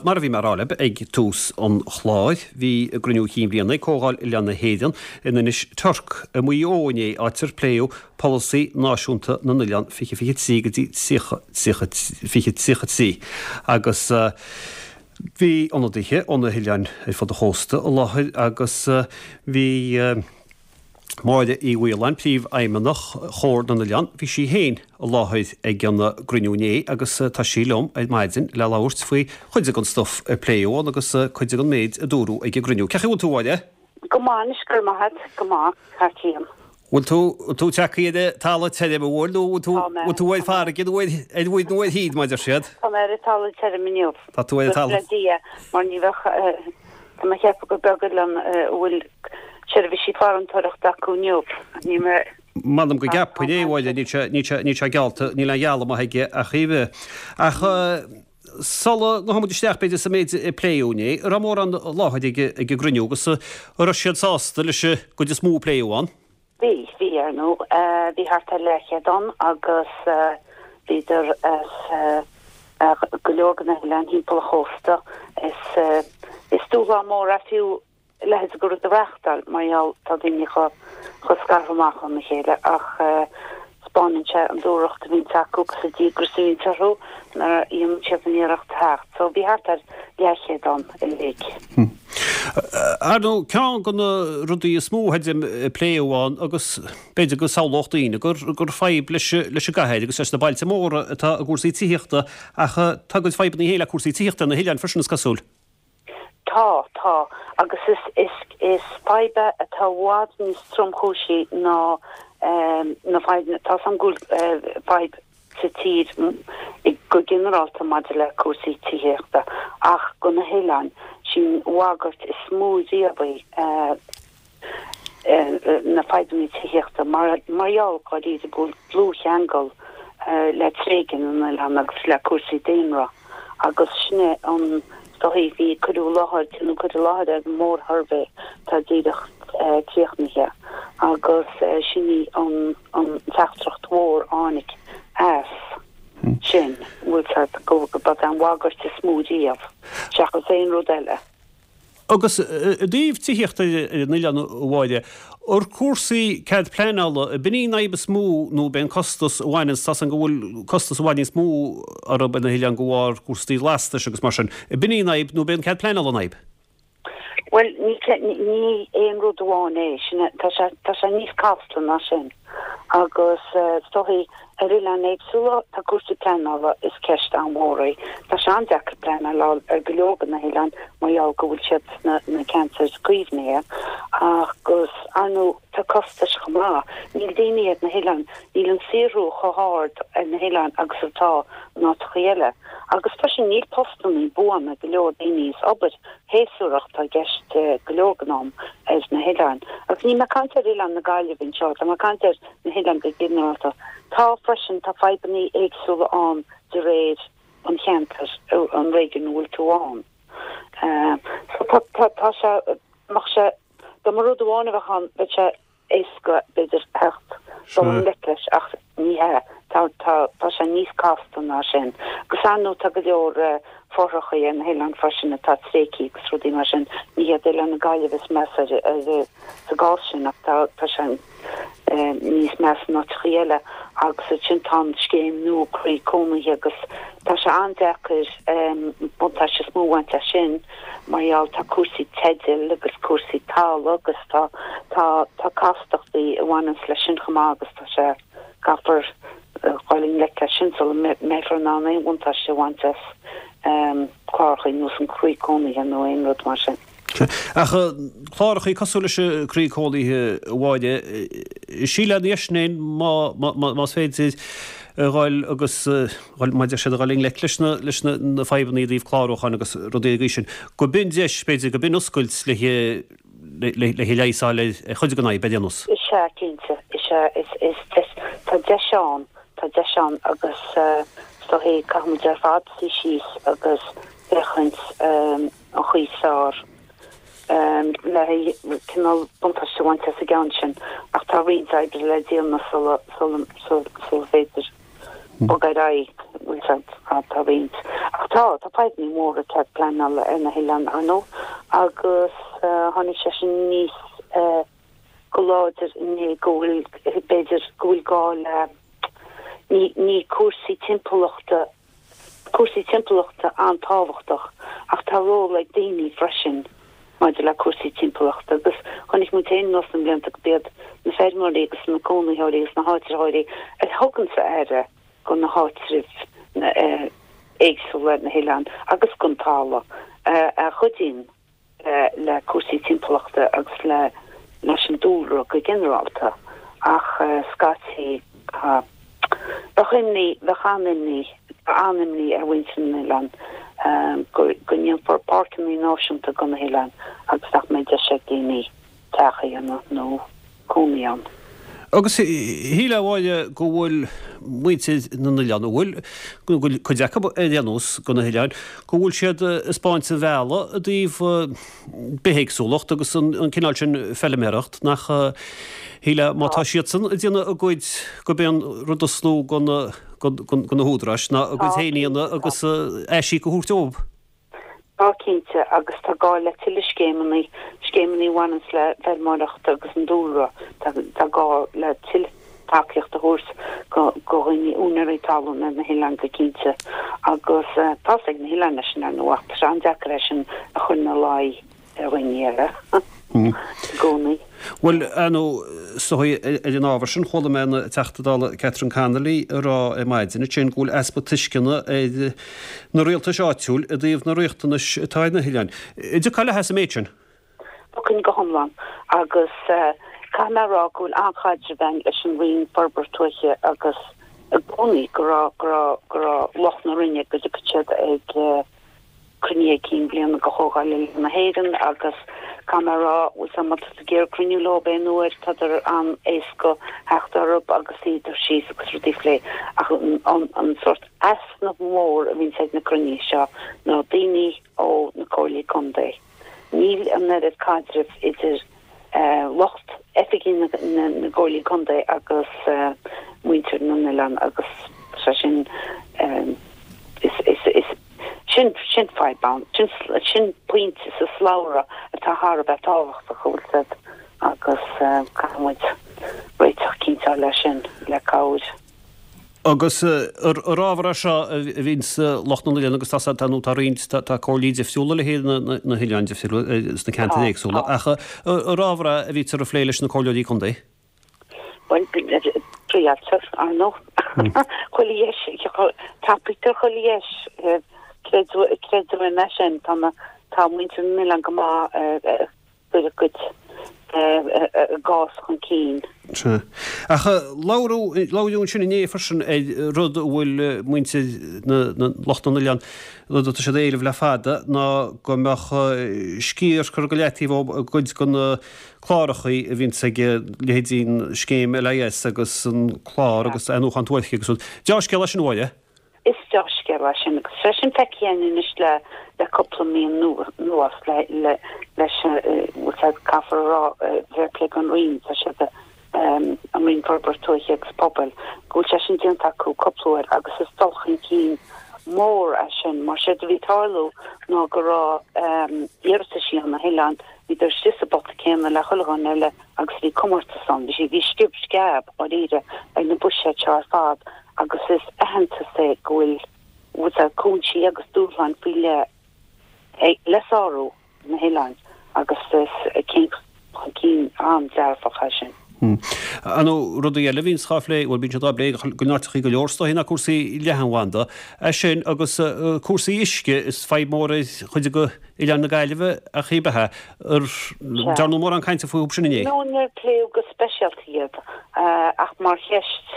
Mar a bhí mé a rá libh ag tús an chláir, bhí a gcruinniú chinn bhliana ag Comhdháil Oileáin na hÉireann in Inis Toirc i Maigh Eo inné, áit ar pléadh Polasaí Náisiúnta na nOileán 2023 go dtí 30 30 2033 agus bhí ionadaithe ó na hoileáin ar fud an chósta i láthair agus bhí Máire Uí Mhaoláin, Príomhfheidhmeannach Chomhar na nOileán, bhí sí féin i láthair ag an gcruinniú inné agus tá sí liom ar maidin le labhairt faoi chuid den stuif a pléadh ann agus cuid den méid a dúradh ag an gcruinniú. Cén chaoi a bhfuil tú, a Mháire? Go maith anois, go raibh maith agat, go maith, thar cionn. Bhfuil tú, bhfuil tú tagtha ar an talamh tirim, an bhfuil, nó bhfuil tú, bhfuil tú ar farraige nó ar, ar mhuir nó ar thír, mar a deir siad? Tá mé ar an talamh tirim inniu. Tá tú ar an talamh. Le Dia, mar ní bheadh, Tá mé ag ceapadh gur beag oileán a bhfuil seirbhísí farantóireachta acu inniu. Níl mé. M'anam go gceapfainn é, a Mháire, níl sé, níl sé, níl sé geallta, níl aon ghealladh maith aige ach oiread. Ach sula ngabhfaidh muid isteach, b'fhéidir, sa méid a pléadh inné, an raibh mórán i láthair ag, ag an gcruinniú agus an raibh siad sásta leis an gcuid is mó a pléadh ann? Bhí, bhí, ar ndóigh. Bhí thart ar leathchéad ann agus bhíodar as go leor de na hoileáin thimpeall an chósta. Is, is dúshlán mór é fiú a leithéid de rud a reáchtáil mar gheall tá daoine chomh, chomh scartha amach óna chéile ach 'spáineann sé an dúthracht a bhíonns acu agus an díograis a bhíonns orthu nuair a dhéanann siad an iarracht theacht. So bhí thart ar leathchéad ann uilig. Ar ndóigh, ceann de na rudaí is mó a pléadh ann agus b'fhéidir go samhlódh daoine gur gur fadhb leis leis an gcathair agus leis na bailte móra atá i gcúrsaí tithíochta ach tá a gcuid fadhbanna féin le cúrsaí tithíochta ar na hoileáin freisin is cosúil. Tá, tá. Agus is, is, is fadhb é atá i bhfad níos tromchúisí ná na fadhbanna, tá 's a'm go bhfuil fadhb sa tír go ginearálta maidir le cúrsaí tithíochta ach do na hoileáin, sí'n bhagairt is mó riamh í. na fadhbanna tithíochta mar gheall dháiríre go bhfuil dlúthcheangal le tréigean na n-oileán agus le cúrsaí daonra agus sin é an dóigh bhí cuireadh i láthair, déanadh cur i láthair ar an mórshuirbhé atá díreach críochnaithe agus sin í an teachtaireacht mhór a tháinig as sin, bhfuil 's a'd, go b'é an bhagairt is mó riamh seachas aon rud eile. Agus i dtaobh tithíochta ar an oileán, a Mháire, ar cúrsaí cead pleanála, ab in í an fhadhb is mó nó ab é an costas a bhaineanns, tá 's a'm go bhfuil costas i bhfad níos mó orthu ar na hoileáin de bharr cúrsaí lastais agus mar sin, ab in í an fhadhb nó ab é an cead pleanála an fhadhb? Bhuel, ní ní aon rud amháin é sin, tá sé tá sé níos casta ná sin. Agus is dóichí ar oileáin éagsúla tá cúrsaí pleanála, is ceist an-mhór í. Tá sé an-deacair pleanáil a fháil ar go leor de na hoileáin mar gheall go bhfuil siad sna na ceantair caomhnaithe agus ar ndóigh tá costais chomh maith. Níl daoine ar na hoileáin, níl an saothrú chomh hard ar na hoileáin agus atá in áiteachaí eile. Agus freisin níl postannaí buana ag go leor daoine, is obair shéasúrach atá i gceist go leor den am ar na hoileáin. Agus níl mé ag caint ar Oileán na Gaillimhe anseo, tá mé ag caint ar na hoileáin go ginearálta. Tá freisin, tá fadhbannaí éagsúla ann de réir an cheantair, an réigiún a bhfuil tú ann. So tá, tá, tá sé, mbeadh sé, dá mba rud amháin a bheadh ann, bheadh sé éasca, b'fhéidir, theacht, dul i ngleic leis ach ní hea, tá, tá, tá sé níos casta ná sin. Agus ar ndóigh tá go leor fothrachaí ar na hoileáin freisin atá tréigthe agus rudaí mar sin. Ní hiad Oileán na Gaillimhe is measa ar, ar, sa gcás sin ach tá, tá sé níos measa in áiteachaí eile agus ansin tá an scéim nua Croí Cónaithe agus tá sé an-deacair buntáiste is mó a bhaint as sin. Mar gheall tá cúrsaí teidil agus cúrsaí talamh agus tá tá tá castachtaí a bhaineanns leis sin chomh maith agus tá sé caithfear dhul i ngleic leis sin sula mbeifear in ann aon bhuntáiste a bhaint as clárachaí ar nós an Croí Cónaithe nó aon rud mar sin. Ach clárachaí cosúil leis an Croí Cónaithe, a Mháire, síleann dheis féin más féidir a dhul agus mar a deir siad, a dhul i ngleic leis na, leis na, na fadhbanna i dtaobh clárúcháin agus rudaí den gcaoi sin, go b'in deis, b'fhéidir, go b'in oscailt le le le leigheas a fháil ar chuid den fhadhb, ar aon nós. Is ea, cinnte. Is ea, is, is deis, tá deis ann, tá deis ann agus is dóichí caithfidh muid ar fad suí síos agus féachaint an chaoi is fearr le cineál buntáiste a bhaint as an gceann sin ach tá roinnt oibre le déanamh sula, sula, sula féidir bogadh ar aghaidh. Bhfuil a fhios agat, tá roinnt. Ach tá, tá fadhbanna móra cead pleanála ar na hoileáin, ar ndóigh, agus tháinig sé sin aníos go láidir inné go bhfuil, b'fhéidir, go bhfuil gá le, ní, ní cúrsaí timpeallachta, cúrsaí timpeallachta an-tábhachtach ach tá ról ag daoine freisin maidir le cúrsaí timpeallachta agus chonaic muid féin anuas na blianta go b'iad na feirmeoirí agus na cónaitheoirí agus na háitritheoirí a thuganns aire go na háitribh éagsúla ar na hoileáin agus gon talamh a chuidíonn le cúrsaí timpeallachta agus le leis an dúlra go ginearálta ach scaití bheadh imní, bheadh an-imní, tá an-imní ar mhuintir na n-oileán go ndéanfar páirceanna náisiúnta go na hoileáin agus nach mbeidh deis ag daoine teach a dhéanamh nó cónaí ann. Agus shílfeá, a Mháire, go bhfuil muintir na n-oileán, an bhfuil, go bhfuil cuid acu ar aon nós go na hoileáin, go bhfuil siad ag 'spáint an bhealaigh i dtaobh bithéagsúlacht agus an cineál sin feilméaracht, nach, shílfeá, má tá siadsan ag déanamh a gcuid, gurb é an rud is lú go na, go na húdaráis ná a gcuid féin a dhéanamh agus aisíoc a thabhairt dóibh. Tá, cinnte, agus tá gá le tuilleadh scéimeanna, scéimeanna a bhaineanns le feirmeoireacht agus an dúlra. Tá gá le tuilleadh tacaíocht a thabhairt go dhaoine, úinéirí talún ar na hoileáin go cinnte. Agus tá's ag na hoileáin é sin, ar ndóigh, ach tá sé an-deacair é sin a chur ina luí ar dhaoine eile i gcónaí. Bhuel, ar ndóigh, is dóigh, ar an ábhar sin, chuala mé an Teachta Dála Catherine Connolly ag rá ar maidin ansin go bhfuil easpa tuisceana ar na rialtais áitiúil i dtaobh na riachtanais atá ar na hoileáin. An dtiocfá léithi sa méid sin? Thiocfainn go hiomlán. Agus caithfidh mé a rá go bhfuil an-chaidreamh againn leis an Roinn Forbartha Tuaithe agus i gcónaí go raibh, go raibh, go raibh lucht na Roinne, go dtiocfadh siad ag, cruinnithe cinn bliana de Chomhdháil Oileáin na hÉireann agus caithfidh mé a rá, bhfuil 's a'm, má tá tú ag iarraidh cruinniú leo aon uair, tádar an-éasca theacht orthu agus suí síos agus rudaí a phlé. Ach an sórt easnamh mór a bhíonns ag na cruinnithe seo ná daoine ó na comhairlí contae. Níl an oiread caidrimh idir lucht oifigí na gcomhairlí contae agus muintir na n-oileán agus sé sin is sin sin fadhb ann, sin sin pointe sa slabhra atá thar a bheith tábhachtach, an bhfuil 's a'd, agus caithfidh muid réiteach cinnte a fháil leis sin le cabhair. Agus ar ábhar é seo a bhíonns lucht na n-oileán agus tá tá nó tá roinnt tá comhairlí difriúla le haghaidh na hoileáin difriúla sna ceantair éagsúla ach ar ábhar é a bhítear a phlé leis na comhairleoirí contae? Bhuel, pléitear, ar ndóigh. Chuile dheis, tapaítear chuile dheis, creid uaim é sin, tá na tá muintir na n-oileán go maith cur a gcuid a gcás chun cinn. Sea. Ach labhradh labhraíodh ansin inné freisin ar rud a bhfuil muintir na na lucht na n-oileán, rud atá siad a éileamh le fada, ná go mbeadh sciar curtha go leataobh ó gcuid de na clárachaí a bhíonns ag leithéidí an scéim LIS agus an clár agus athnuachan tuaithe agus rud. Deá-scéal é sin, a Mháire. Is deá-scéal é sin agus tá sin feicthe againn anois le le cúpla mí anuas le le leis bhfuil 's a'd caithfear a rá fair play don Roinn tá siad an Roinn Forbartha Tuaithe agus Pobail go bhfuil sé sin déanta acu cúpla uair agus is dul chun cinn mór é sin mar séard a bhí ag tarlú ná go raibh iarrataisí ó na hoileáin bhíodar istigh sa bpota céanna le chuile dhuine eile agus bhí comórtas ann bhí bhí sciob sceab dáiríre ar na buiséid seo ar fad agus is aitheantas é go bhfuil bhfuil 's a'd cúinsí agus dúshláin faoi leith le sárú ar na hoileáin agus is céim chun cinn an-dearfach é sin. Ar ndóigh, rudaí eile a bhíonns á phlé, bhuel bíonn siad á bplé go n-áiteachaí go leor is dóichí ná cúrsaí leathanbhanda. É sin agus cúrsaí uisce, is fadhb mór ar chuid de oileáin na Gaillimhe ach cibé. Ar ndearnadh mórán cainte fúthu sin inné? No, níor pléadh go speisialta iad ach mar cheist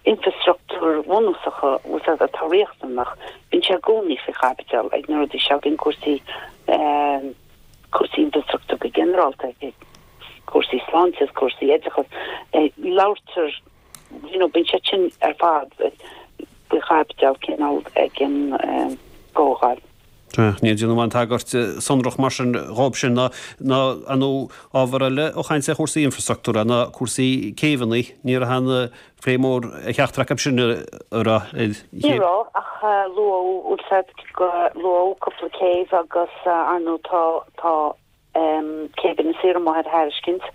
infreastruchtúir bhunúsacha bhfuil 's a'd atá riachtanach, bíonn sé i gcónaí faoi chaibidil ag na rudaí seo, bíonn cúrsaí cúrsaí infreastruchtúir go ginearálta, cúrsaí sláinte is cúrsaí oideachais, labhartar you know bíonn siad sin ar fad faoi chaibidil cineál ag an gcomhdháil. Níor déanadh aon tagairt sonrach mar sin dhóibh sin ná ar ndóigh ábhar eile ó chaint ar chúrsaí infreastruchtúra ná cúrsaí céibheanna. Ní raibh aon phlé mór ar cheachtar acu sin an raibh? Ní raibh ach luadh luadh cúpla céibh agus ar ndóigh tá tá Céibh Inis Oírr amuigh ar thairiscint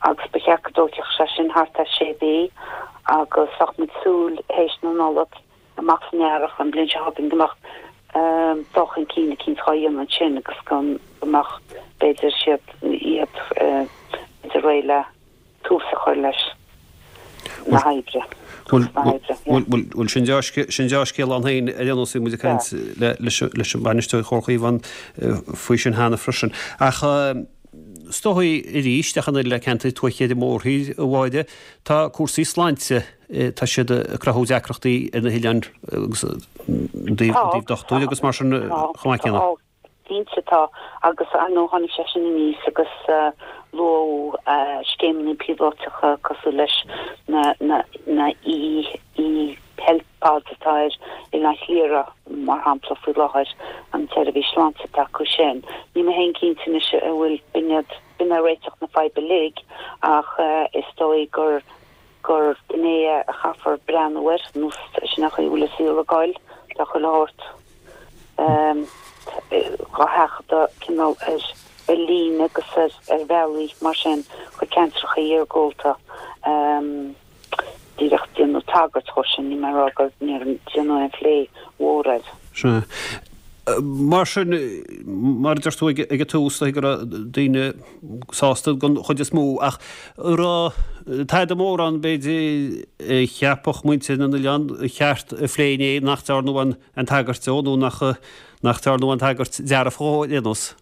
agus ba cheart go dtógfadh sé sin thart ar sé mhí agus bheadh muid súil théis na Nollag amach san earrach an bhliain seo chugainn go mbeadh dul chun cinn eicínt dhá dhéanamh ansin agus go mbeadh b'fhéidir siad iad b'fhéidir réidh le tús a chur leis na hoibre. Bhuel, sin deá-scéal ann féin ar aon nós, bhí muid ag caint leis an bhainisteoir Chomhar Chaomhán faoi sin cheana freisin. Ach is dóigh arís, ach an oiread le ceantair tuaithe ar an mórthír, a Mháire, tá cúrsaí sláinte, tá siad ag cruthú deacrachtaí ar na hoileáin agus i dtaobh dochtúirí agus mar sin chomh maith céanna. Cinnte tá, agus ar ndóigh tháinig sé sin aníos agus luadh scéimeanna píolótacha cosúil leis na na e-health pods atá ar Oileán Chliara mar shampla faoi láthair, an tseirbhís sláinte atá acu sin. Níl mé féin cinnte anois an bhfuil b'in iad, b'in é réiteach na faidhbe uilig ach is dóigh gur gur gné é a chaithfear breathnú air, nó sin an chaoi a bhfuil an saol ag goil, tá chuile shórt dhá sheachadadh cineál ar ar líne agus ar ar bhealaí mar sin chuig ceantracha iargúlta. Díreach déanadh tagairt dhó sin, níl mé ag rá gur níor déanadh aon phlé mhór air. Sea. Mar sin, mar a deir tú ag an tús, go raibh daoine sásta den chuid is mó, ach an raibh tada mórán, b'fhéidir, a cheapfadh muintir na n-oileán ba cheart a phlé inné nach dtearnadh aon tagairt dó nó nach dtearnadh aon tagairt dearfach dhó ar aon nós?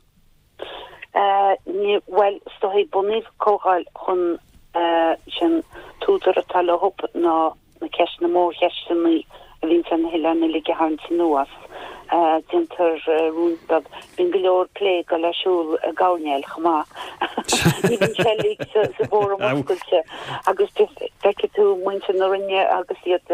Bhuel, is dóigh, bunaíodh comhdháil chun sin t-údar atá leo ná na ceisteanna, mórcheisteanna a bhíonns ar na hoileáin uilig a tharraingt anuas. Déantar rún beag. Bíonn go leor plé ag dul ar siúl i gcoirnéil chomh maith. Ní bhíonn sé uilig sa bhfóram oscailte agus feicfidh tú muintir na Roinne agus iad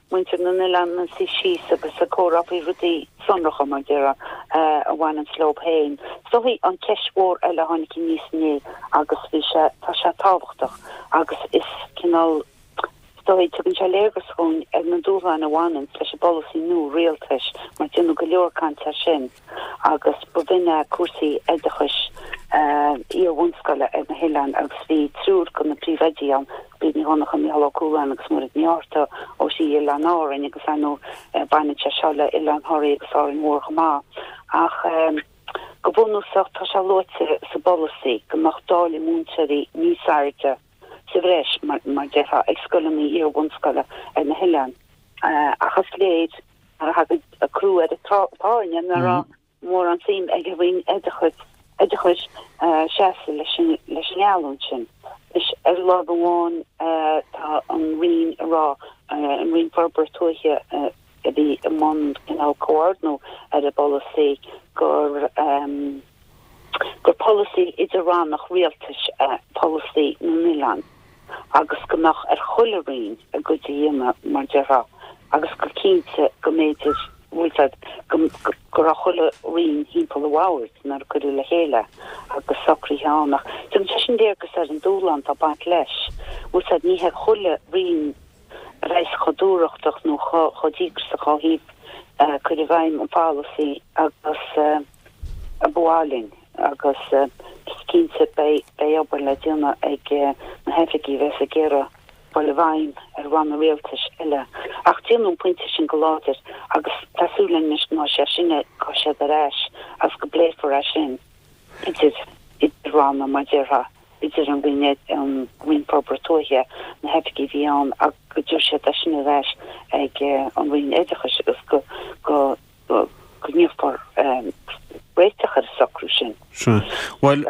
muintir na n-oileán ina suí síos agus ag comhrá faoi rudaí sonracha, mar déarfá, a bhaineanns leo féin. Is dóigh an cheist mhór eile a tháinig aníos inné agus bhí sé, tá sé tábhachtach agus is cineál, is dóigh, tugann sé léargas dhúinn ar na dúshláin a bhaineanns leis an bpolasaí nua rialtais mar déanadh go leor cainte air sin. agus ba bh'in é cúrsaí oideachais iar-bhunscoile ar na hoileáin agus bhí triúr de na príomhoidí ann, Bríd Ní Dhonncha, Mícheál Ó Cualáin agus Mairéad Ní Fhátharta ó thrí oileán Árainn agus ar ndóigh baineann sé seo le Oileán Thoraí agus Árainn Mhór chomh maith. Ach go bunúsach tá sé luaite sa bpolasaí go mbeadh dáileadh múinteoirí níos airde sa bhreis, mar a déarfá, ag scoileanna iar-bhunscoile ar na hoileáin. Ach is léir Nuair a thagann crú ar an tairne nach raibh mórán suim ag an Roinn Oideachais seasamh leis an ngeallúint sin. Anois, ar láimh amháin tá an Roinn ag rá, an Roinn Forbartha Tuaithe a bhí i mbun cineál comhordnú ar an bpolasaí, gur gur polasaí idir-rannach rialtais é polasaí na n-oileán. agus go mbeadh ar chuile roinn a gcuid a dhéanamh, mar déarfá, agus go cinnte go mb'fhéidir, bhfuil fhios a'd, go, go raibh chuile roinn thimpeall an bhoird nuair a cuireadh le chéile agus socruithe ann. Ach tugann sé sin léargas ar an dúshlán atá ag baint leis. Bhfuil fhios a'd, ní hé chuile roinn a bheas chomh dúthrachtach nó chomh, chomh díograiseach ó thaobh cur i bhfeidhm an pholasaí agus a ba mhaith linn agus is cinnte beidh obair le déanamh ag na hoifigigh a bheas ag iarraidh dul i bhfeidhm ar ranna rialtais eile. Ach déanadh an pointe sin go láidir agus tá súil againn anois go mbeidh sé sin, go mbeidh siad ar ais agus go bpléifear é sin idir idir ranna mar déarfá, idir an Roinn an Roinn Forbartha Tuaithe, na hoifigigh a bhí ann agus go dtabharfaidh siad é sin ar ais ag an Roinn Oideachais agus go go go ndéanfar réiteach ar an socrú sin. Sea. Bhuel,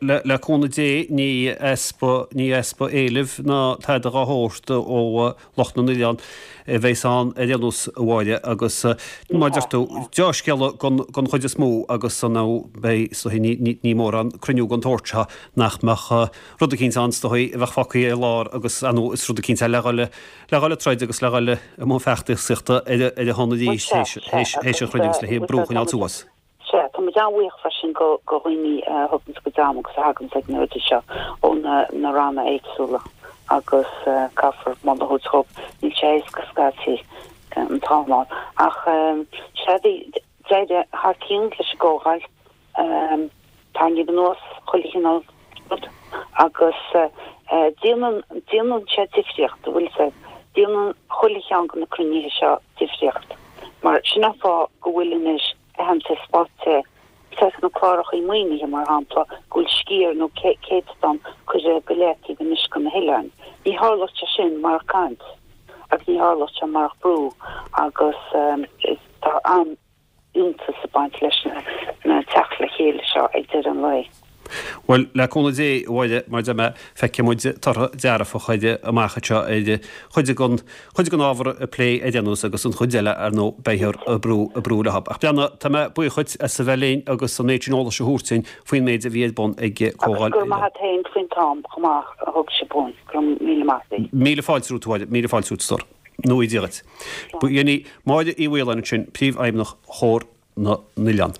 le cúnamh Dé, ní easpa, ní easpa éilimh ná tada dhá shórt ó lucht na n-oileán a bheas ann ar aon nós, a Mháire, agus mar a deir tú, deá-scéala don chuid is mó agus ar ndóigh beidh, is dóigh, ní, ní mórán cruinniú den tsórt seo nach mbeadh rud eicínt ann, is dóigh, a bheadh fágtha ar lár agus, ar ndóigh, is rud eicínt le dhul le dhul ag troid agus le dhul i mbun feachtasaíochta ar a shon arís théis an chruinnithe agus le brú a choinneáil suas. Sea, tá muid an-bhuíoch freisin go dhaoine a thuganns a gcuid ama agus a thaganns ag na rudaí seo ó na ranna éagsúla agus caithfear moladh a thabhairt dhóibh. Níl sé éasca scaití an t-am a fháil. Ach sea, bhí d'éirigh thar cionn leis an gcomhdháil. Tarraingíodh anuas chuile chineál rud agus déanann, déanann sé difríocht, an bhfuil 'fhios a'd, déanann chuile cheann de na cruinnithe seo difríocht mar sin an fáth go bhfuil anois aitheantas faighte sna clárachaí maoinithe, mar shampla, go bhfuil sciar nó céatadán curtha go leataobh anois do na hoileáin. Ní tharlódh sé sin marach caint agus ní tharlódh sé marach brú agus tá an. fhiúntas ag baint leis na teacht le chéile seo ag deireadh an lae. Bhuel, le cúnamh Dé, a Mháire, mar a deir mé, feicfidh muid tortha dearfacha amach anseo ar chuid den, chuid den ábhar a pléadh ar aon nós agus an chuid eile, ar ndóigh, beifear ag brú, ag brú leo. Ach breathnaigh, tá mé buíoch dhuit as a bheith linn agus an méid sin eolais a thabhairt dúinn faoin méid a bhí ar bun ag Comhdháil. Agus go raibh maith a't féin faoin t-am chomh maith a thug sibh dhúinn. Go raibh míle maith a't. Míle fáilte romhat, a Mháire, míle fáilte romhat, a stór. Go ngnóthaí Dia dhuit. B'in í Máire Uí Mhaoláin ansin, Príomhfheidhmeannach Chomhar na nOileán.